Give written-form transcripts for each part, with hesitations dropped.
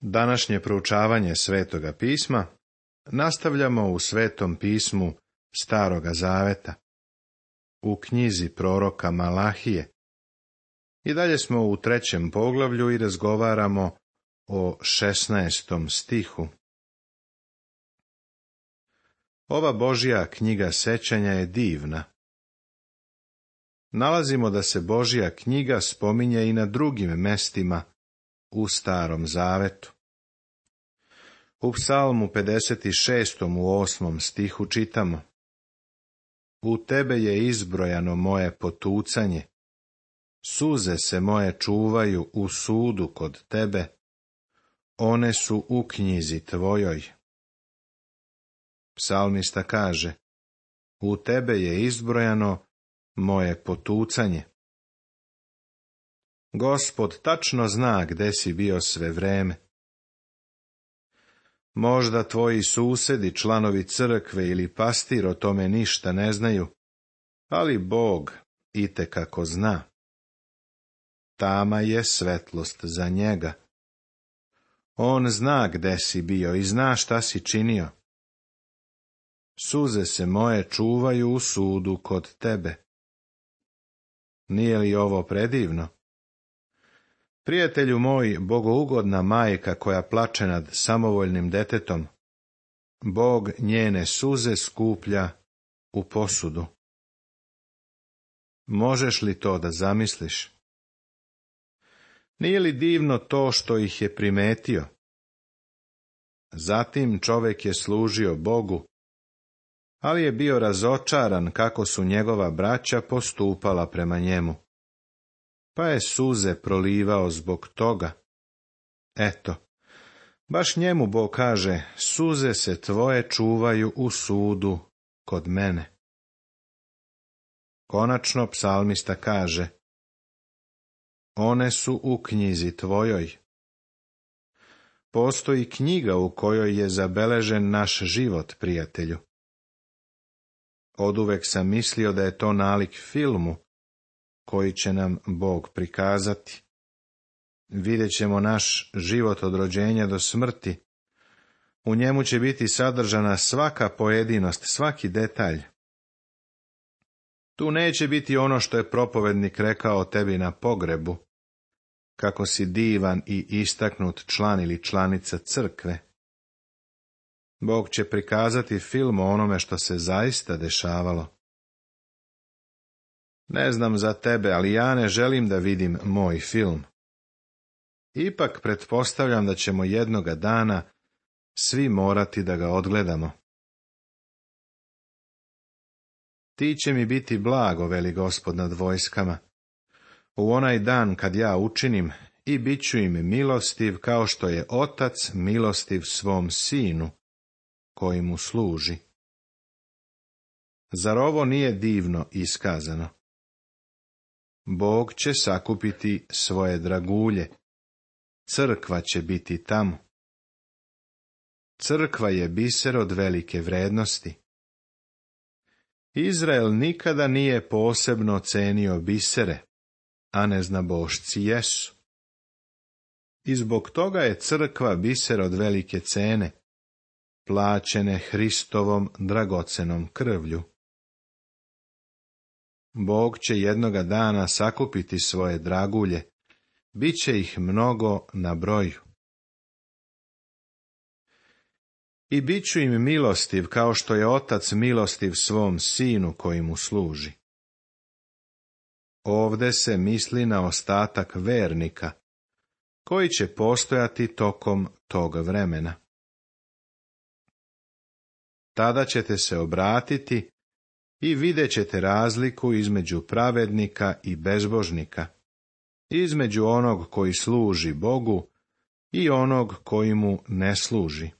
Današnje proučavanje Svetoga pisma nastavljamo u Svetom pismu Staroga zaveta, u knjizi proroka Malahije. I dalje smo u 3. poglavlju i razgovaramo o 16. stihu. Ova Božja knjiga sećanja je divna. Nalazimo da se Božja knjiga spominje i na drugim mestima u Starom zavetu. U Psalmu 56. u 8. stihu čitamo: U tebe je izbrojano moje potucanje, suze se moje čuvaju u sudu kod tebe, one su u knjizi tvojoj. Psalmista kaže: U tebe je izbrojano moje potucanje. Gospod tačno zna gde si bio sve vreme. Možda tvoji susedi, članovi crkve ili pastir o tome ništa ne znaju, ali Bog itekako zna. Tama je svetlost za njega. On zna gde si bio i zna šta si činio. Suze se moje čuvaju u sudu kod tebe. Nije li ovo predivno? Prijatelju moj, bogougodna majka koja plače nad samovoljnim detetom, Bog njene suze skuplja u posudu. Možeš li to da zamisliš? Nije li divno to što ih je primetio? Zatim čovjek je služio Bogu, ali je bio razočaran kako su njegova braća postupala prema njemu, pa je suze prolivao zbog toga. Eto, baš njemu Bog kaže: suze se tvoje čuvaju u sudu kod mene. Konačno psalmista kaže: one su u knjizi tvojoj. Postoji knjiga u kojoj je zabeležen naš život, prijatelju. Oduvek sam mislio da je to nalik filmu koji će nam Bog prikazati. Vidjet ćemo naš život od rođenja do smrti. U njemu će biti sadržana svaka pojedinost, svaki detalj. Tu neće biti ono što je propovednik rekao tebi na pogrebu, kako si divan i istaknut član ili članica crkve. Bog će prikazati film o onome što se zaista dešavalo. Ne znam za tebe, ali ja ne želim da vidim moj film. Ipak pretpostavljam da ćemo jednoga dana svi morati da ga odgledamo. Ti će mi biti blago, veli Gospod nad vojskama, u onaj dan kad ja učinim, i bit ću im milostiv kao što je otac milostiv svom sinu koji mu služi. Zar ovo nije divno iskazano? Bog će sakupiti svoje dragulje. Crkva će biti tamo. Crkva je biser od velike vrednosti. Izrael nikada nije posebno cenio bisere, a neznabošci jesu. I zbog toga je crkva biser od velike cene, plaćene Hristovom dragocenom krvlju. Bog će jednoga dana sakupiti svoje dragulje, bit će ih mnogo na broju. I bit ću im milostiv kao što je otac milostiv svom sinu koji mu služi. Ovde se misli na ostatak vernika, koji će postojati tokom tog vremena. Tada ćete se obratiti i vidjet ćete razliku između pravednika i bezbožnika, između onog koji služi Bogu i onog koji mu ne služi.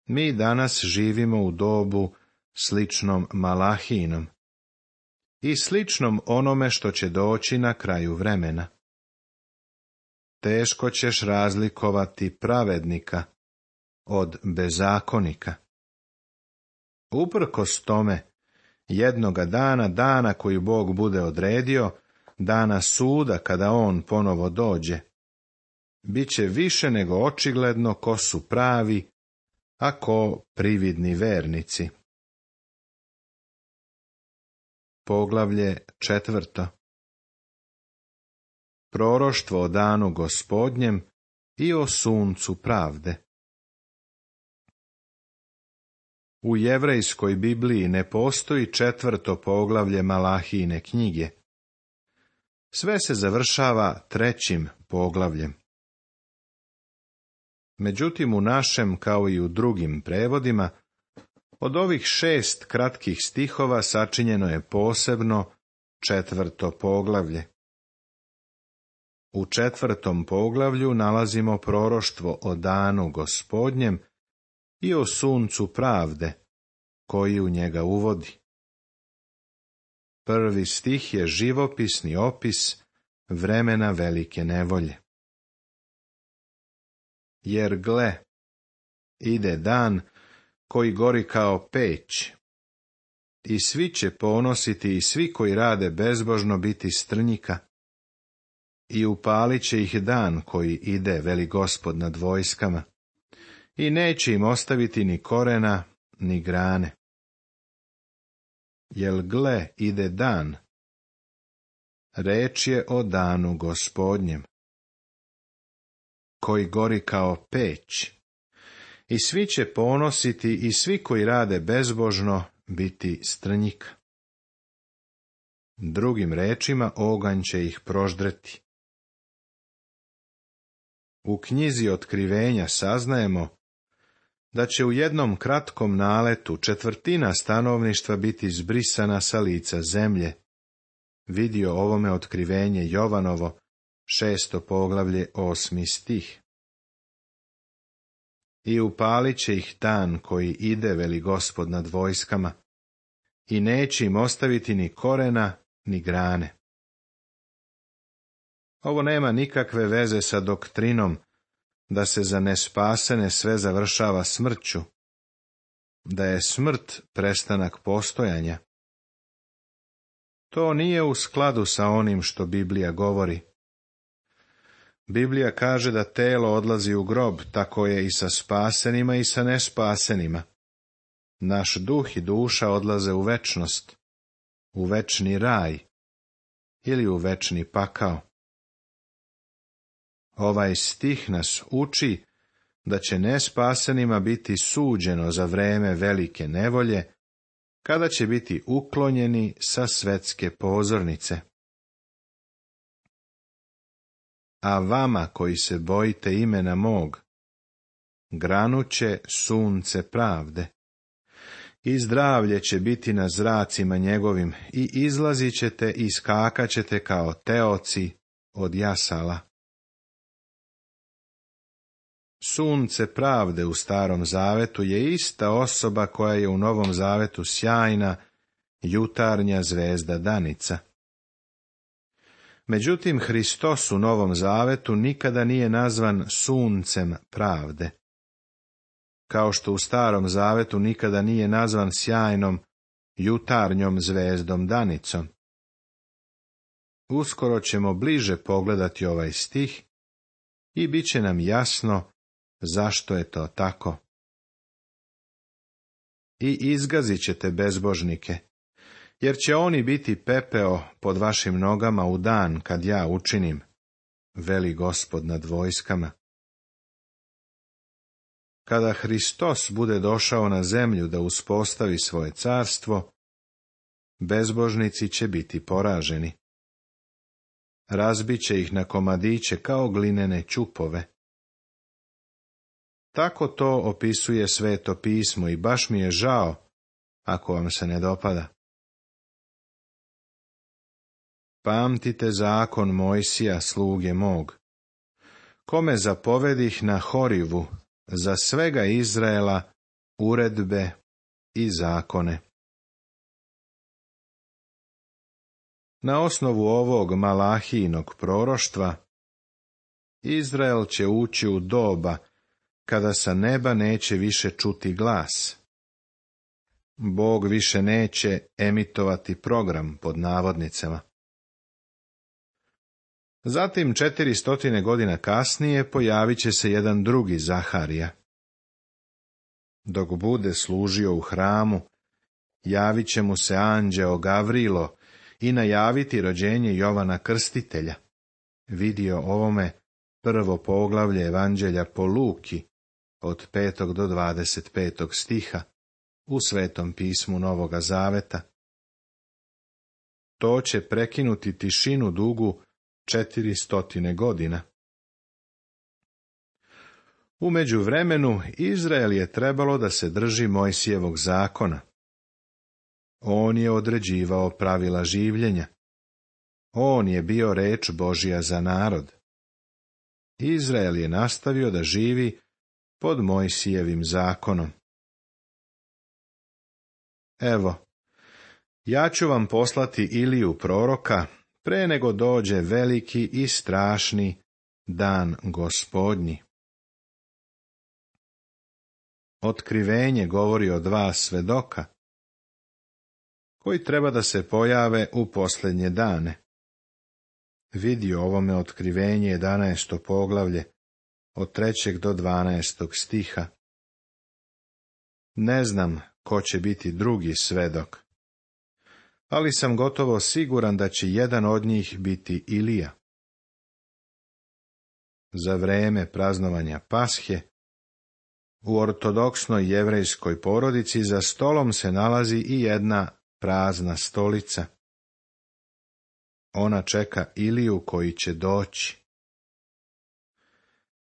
Mi danas živimo u dobu sličnom Malahijinom i sličnom onome što će doći na kraju vremena. Teško ćeš razlikovati pravednika od bezakonika. Uprkos tome, jednoga dana koju Bog bude odredio, dana suda kada on ponovo dođe, Biće više nego očigledno ko su pravi, a ko prividni vernici. Poglavlje 4. Proroštvo o danu Gospodnjem i o suncu pravde. U jevrejskoj Bibliji ne postoji 4. poglavlje Malahijine knjige. Sve se završava 3. poglavljem. Međutim, u našem, kao i u drugim prevodima, od ovih 6 kratkih stihova sačinjeno je posebno 4. poglavlje. U 4. poglavlju nalazimo proroštvo o danu Gospodnjem i o suncu pravde, koji u njega uvodi. Prvi stih je živopisni opis vremena velike nevolje. Jer gle, ide dan koji gori kao peć, i svi će ponositi i svi koji rade bezbožno biti strnjika, i upalit će ih dan koji ide, veli Gospod nad vojskama, i neće im ostaviti ni korena, ni grane. Jel gle, ide dan, reč je o danu Gospodnjem, koji gori kao peć, i svi će ponositi i svi koji rade bezbožno biti strnjika. Drugim rečima, oganj će ih proždreti. U knjizi Otkrivenja saznajemo da će u jednom kratkom naletu 1/4 stanovništva biti zbrisana sa lica zemlje. Vidio ovome Otkrivenje Jovanovo, 6. poglavlje, 8. stih. I upalit će ih dan koji ide, veli Gospod nad vojskama, i neće im ostaviti ni korena, ni grane. Ovo nema nikakve veze sa doktrinom da se za nespasene sve završava smrću, da je smrt prestanak postojanja. To nije u skladu sa onim što Biblija govori. Biblija kaže da telo odlazi u grob, tako je i sa spasenima i sa nespasenima. Naš duh i duša odlaze u večnost, u večni raj ili u večni pakao. Ovaj stih nas uči da će nespasenima biti suđeno za vreme velike nevolje, kada će biti uklonjeni sa svetske pozornice. A vama koji se bojite imena mog, granuće sunce pravde, i zdravlje će biti na zracima njegovim, i izlazit ćete i skakat ćete kao teoci od jasala. Sunce pravde u Starom zavetu je ista osoba koja je u Novom zavetu sjajna, jutarnja zvezda danica. Međutim, Hristos u Novom zavetu nikada nije nazvan suncem pravde, kao što u Starom zavetu nikada nije nazvan sjajnom, jutarnjom zvezdom danicom. Uskoro ćemo bliže pogledati ovaj stih i bit će nam jasno zašto je to tako. I izgazit ćete bezbožnike, jer će oni biti pepeo pod vašim nogama u dan kad ja učinim, veli Gospod nad vojskama. Kada Hristos bude došao na zemlju da uspostavi svoje carstvo, bezbožnici će biti poraženi. Razbit će ih na komadiće kao glinene ćupove. Tako to opisuje Sveto pismo i baš mi je žao ako vam se ne dopada. Pamtite zakon Mojsija, sluge mog, kome zapovedih na Horivu za svega Izraela uredbe i zakone. Na osnovu ovog Malahijinog proroštva, Izrael će ući u doba kada sa neba neće više čuti glas. Bog više neće emitovati program pod navodnicama. Zatim 400 godina kasnije pojavit će se jedan drugi Zaharija. Dok bude služio u hramu, javit će mu se anđeo Gavrilo i najaviti rođenje Jovana Krstitelja. Vidio ovome prvo poglavlje Evanđelja po Luki, od 5. do 25. stiha, u Svetom pismu Novoga Zaveta. To će prekinuti tišinu dugu 400 godina. U međuvremenu Izrael je trebalo da se drži Mojsijevog zakona. On je određivao pravila življenja. On je bio reč Božja za narod. Izrael je nastavio da živi pod Mojsijevim zakonom. Evo, ja ću vam poslati Iliju proroka pre nego dođe veliki i strašni dan Gospodnji. Otkrivenje govori o dva svedoka, koji treba da se pojave u posljednje dane. Vidi ovome otkrivenje 11. poglavlje, od 3. do 12. stiha. Ne znam ko će biti drugi svedok, ali sam gotovo siguran da će jedan od njih biti Ilija. Za vreme praznovanja Pashe, u ortodoksnoj jevrejskoj porodici za stolom se nalazi i jedna prazna stolica. Ona čeka Iliju koji će doći.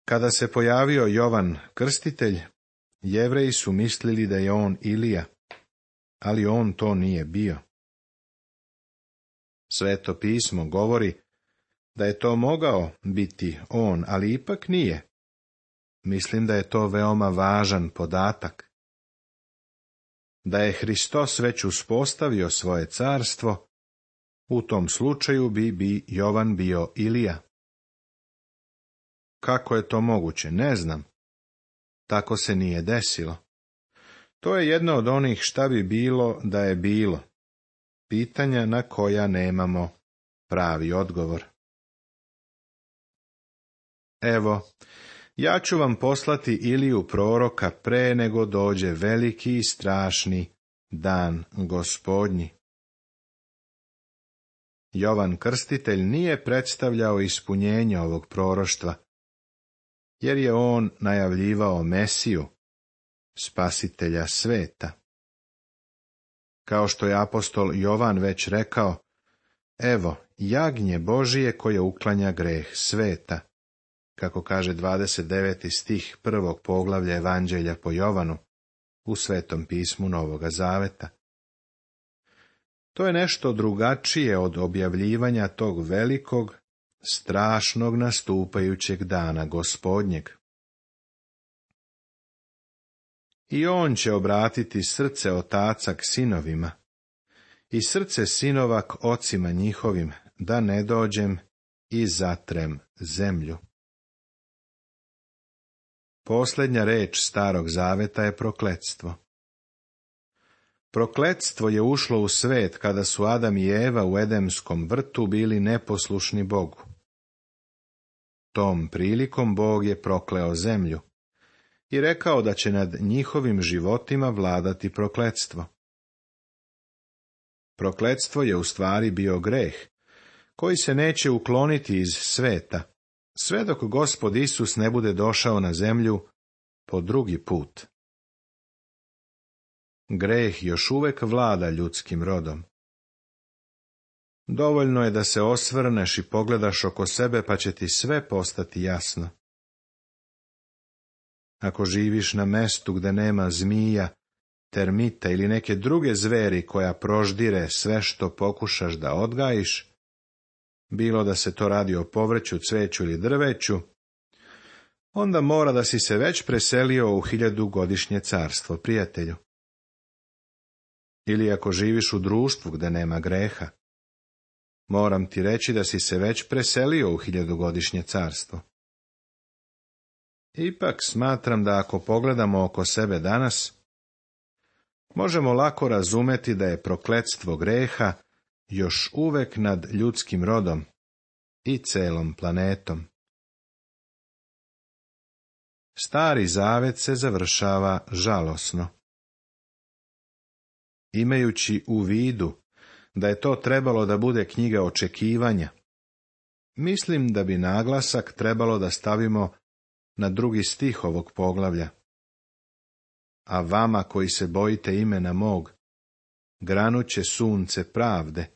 Kada se pojavio Jovan Krstitelj, Jevreji su mislili da je on Ilija, ali on to nije bio. Sveto pismo govori da je to mogao biti on, ali ipak nije. Mislim da je to veoma važan podatak. Da je Hristos već uspostavio svoje carstvo, u tom slučaju bi Jovan bio Ilija. Kako je to moguće, ne znam. Tako se nije desilo. To je jedno od onih šta bi bilo da je bilo. Pitanja na koja nemamo pravi odgovor. Evo, ja ću vam poslati Iliju proroka pre nego dođe veliki i strašni dan Gospodnji. Jovan Krstitelj nije predstavljao ispunjenje ovog proroštva, jer je on najavljivao Mesiju, spasitelja sveta. Kao što je apostol Jovan već rekao, evo, jagnje Božije koje uklanja greh sveta, kako kaže 29. stih 1. poglavlja Evanđelja po Jovanu, u Svetom pismu Novoga Zaveta. To je nešto drugačije od objavljivanja tog velikog, strašnog nastupajućeg dana Gospodnjeg. I on će obratiti srce otaca k sinovima i srce sinova k ocima njihovim, da ne dođem i zatrem zemlju. Posljednja reč Starog Zaveta je prokletstvo. Prokletstvo je ušlo u svet kada su Adam i Eva u Edemskom vrtu bili neposlušni Bogu. Tom prilikom Bog je prokleo zemlju i rekao da će nad njihovim životima vladati prokletstvo. Prokletstvo je u stvari bio greh, koji se neće ukloniti iz sveta, sve dok Gospod Isus ne bude došao na zemlju po drugi put. Greh još uvek vlada ljudskim rodom. Dovoljno je da se osvrneš i pogledaš oko sebe, pa će ti sve postati jasno. Ako živiš na mestu gde nema zmija, termita ili neke druge zveri koja proždire sve što pokušaš da odgajiš, bilo da se to radi o povrću, cveću ili drveću, onda mora da si se već preselio u 1000-godišnje carstvo, prijatelju. Ili ako živiš u društvu gde nema greha, moram ti reći da si se već preselio u 1000-godišnje carstvo. Ipak smatram da ako pogledamo oko sebe danas, možemo lako razumeti da je prokletstvo greha još uvek nad ljudskim rodom i celom planetom. Stari zavet se završava žalosno. Imajući u vidu da je to trebalo da bude knjiga očekivanja, mislim da bi naglasak trebalo da stavimo na 2. stih ovog poglavlja. A vama koji se bojite imena mog, granuće sunce pravde,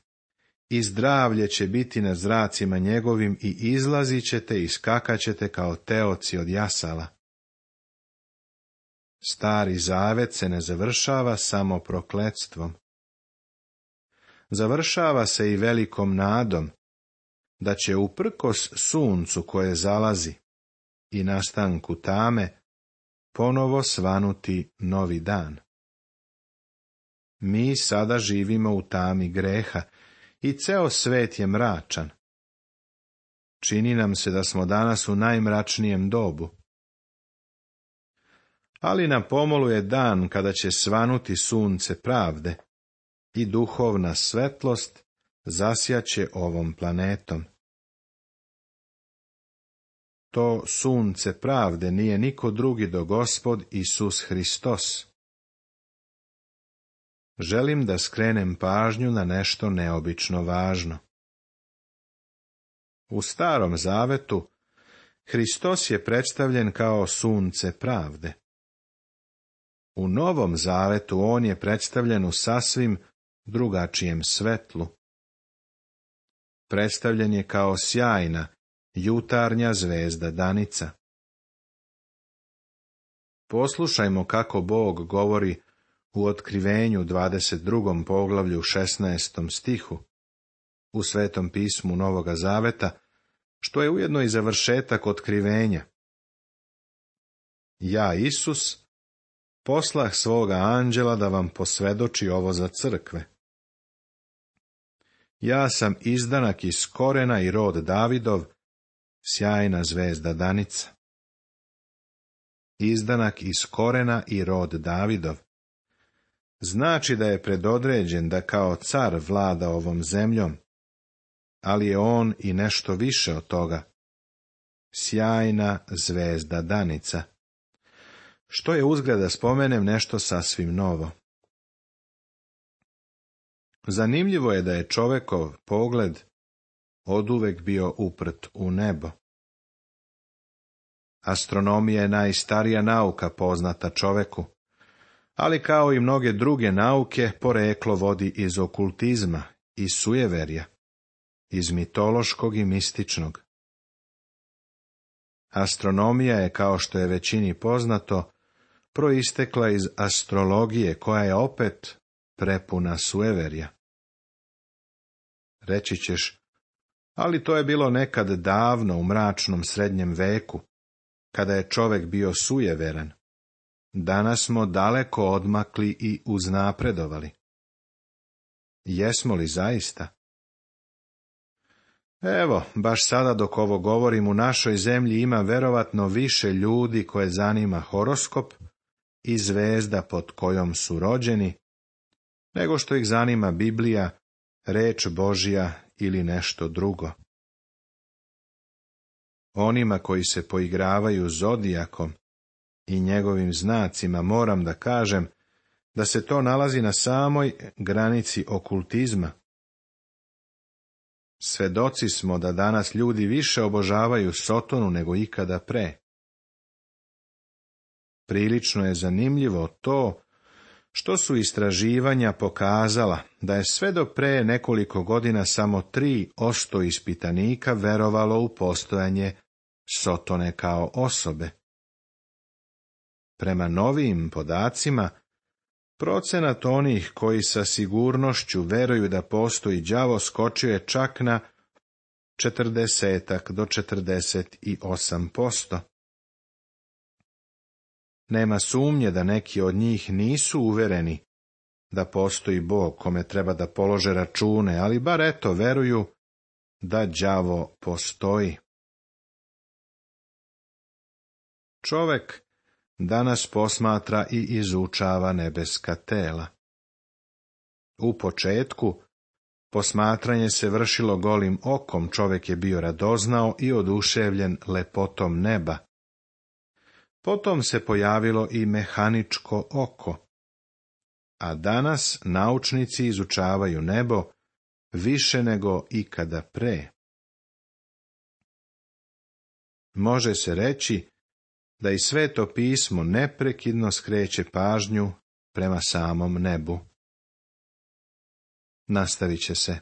i zdravlje će biti na zracima njegovim i izlazit ćete i skakaćete kao teoci od jasala. Stari zavet se ne završava samo prokletstvom. Završava se i velikom nadom da će uprkos suncu koje zalazi i nastanku tame ponovo svanuti novi dan. Mi sada živimo u tami greha i ceo svet je mračan. Čini nam se da smo danas u najmračnijem dobu. Ali na pomolu je dan kada će svanuti sunce pravde i duhovna svetlost zasjaće ovom planetom. To sunce pravde nije niko drugi do Gospod Isus Hristos. Želim da skrenem pažnju na nešto neobično važno. U Starom zavetu Hristos je predstavljen kao sunce pravde. U Novom zavetu on je predstavljen u sasvim drugačijem svetlu. Predstavljen je kao sjajna, jutarnja zvezda danica. Poslušajmo kako Bog govori u Otkrivenju 22. poglavlju 16. stihu u Svetom pismu Novoga zaveta, što je ujedno i završetak otkrivenja. Ja, Isus, poslah svoga anđela da vam posvedoči ovo za crkve. Ja sam izdanak iz korena i rod Davidov, sjajna zvezda danica. Izdanak iz korena i rod Davidov. Znači da je predodređen da kao car vlada ovom zemljom, ali je on i nešto više od toga. Sjajna zvezda danica. Što je uzgred da spomenem nešto sasvim novo. Zanimljivo je da je čovekov pogled oduvek bio uprt u nebo. Astronomija je najstarija nauka poznata čoveku, ali kao i mnoge druge nauke poreklo vodi iz okultizma, iz sujeverja, iz mitološkog i mističnog. Astronomija je, kao što je većini poznato, proistekla iz astrologije, koja je opet prepuna sujeverja. Reći ćeš, ali to je bilo nekad davno u mračnom srednjem veku, kada je čovek bio sujeveran. Danas smo daleko odmakli i uznapredovali. Jesmo li zaista? Evo, baš sada dok ovo govorim, u našoj zemlji ima verovatno više ljudi koje zanima horoskop i zvezda pod kojom su rođeni, nego što ih zanima Biblija, reč Božja ili nešto drugo. Onima koji se poigravaju zodijakom i njegovim znacima moram da kažem da se to nalazi na samoj granici okultizma. Svedoci smo da danas ljudi više obožavaju Sotonu nego ikada pre. Prilično je zanimljivo to što su istraživanja pokazala da je sve do pre nekoliko godina samo 3% ispitanika verovalo u postojanje Sotone kao osobe. Prema novijim podacima, procenat onih koji sa sigurnošću veruju da postoji đavo skočio je čak na 40 do 48%. Nema sumnje da neki od njih nisu uvereni da postoji Bog kome treba da polože račune, ali bar eto veruju da đavo postoji. Čovek danas posmatra i izučava nebeska tela. U početku Posmatranje se vršilo golim okom, čovjek je bio radoznao i oduševljen lepotom neba. Potom se pojavilo i mehaničko oko. A danas naučnici izučavaju nebo više nego ikada pre. Može se reći da i Sveto pismo neprekidno skreće pažnju prema samom nebu. Nastavit će se.